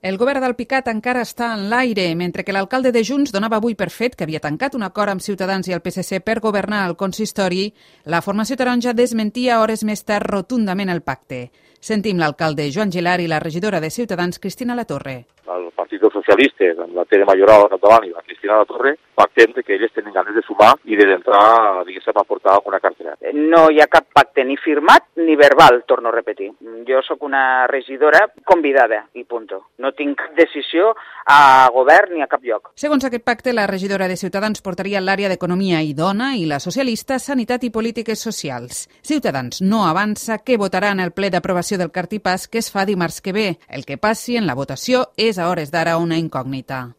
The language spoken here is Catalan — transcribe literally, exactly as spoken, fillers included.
El govern d'Alpicat encara està en l'aire, mentre que l'alcalde de Junts donava avui per fet que havia tancat un acord amb Ciutadans i el P S C per governar el consistori. La formació taronja desmentia hores més tard rotundament el pacte. Sentim l'alcalde Joan Gilar i la regidora de Ciutadans, Cristina Latorre. El Partit dels Socialistes, amb la Tere Mayoral al capdavant i la Cristina Latorre, pactem que elles tenen ganes de sumar i d'entrar, diguéssim, a portar una cartera. No hi ha cap pacte ni firmat ni verbal, torno a repetir. Jo sóc una regidora convidada i punto. No tinc cap decisió a govern ni a cap lloc. Segons aquest pacte, la regidora de Ciutadans portaria l'àrea d'Economia i Dona i la socialista Sanitat i Polítiques Socials. Ciutadans no avança que votarà en el ple d'aprovació del cartipàs que es fa dimarts que ve. El que passi en la votació és a hores d'ara una incògnita.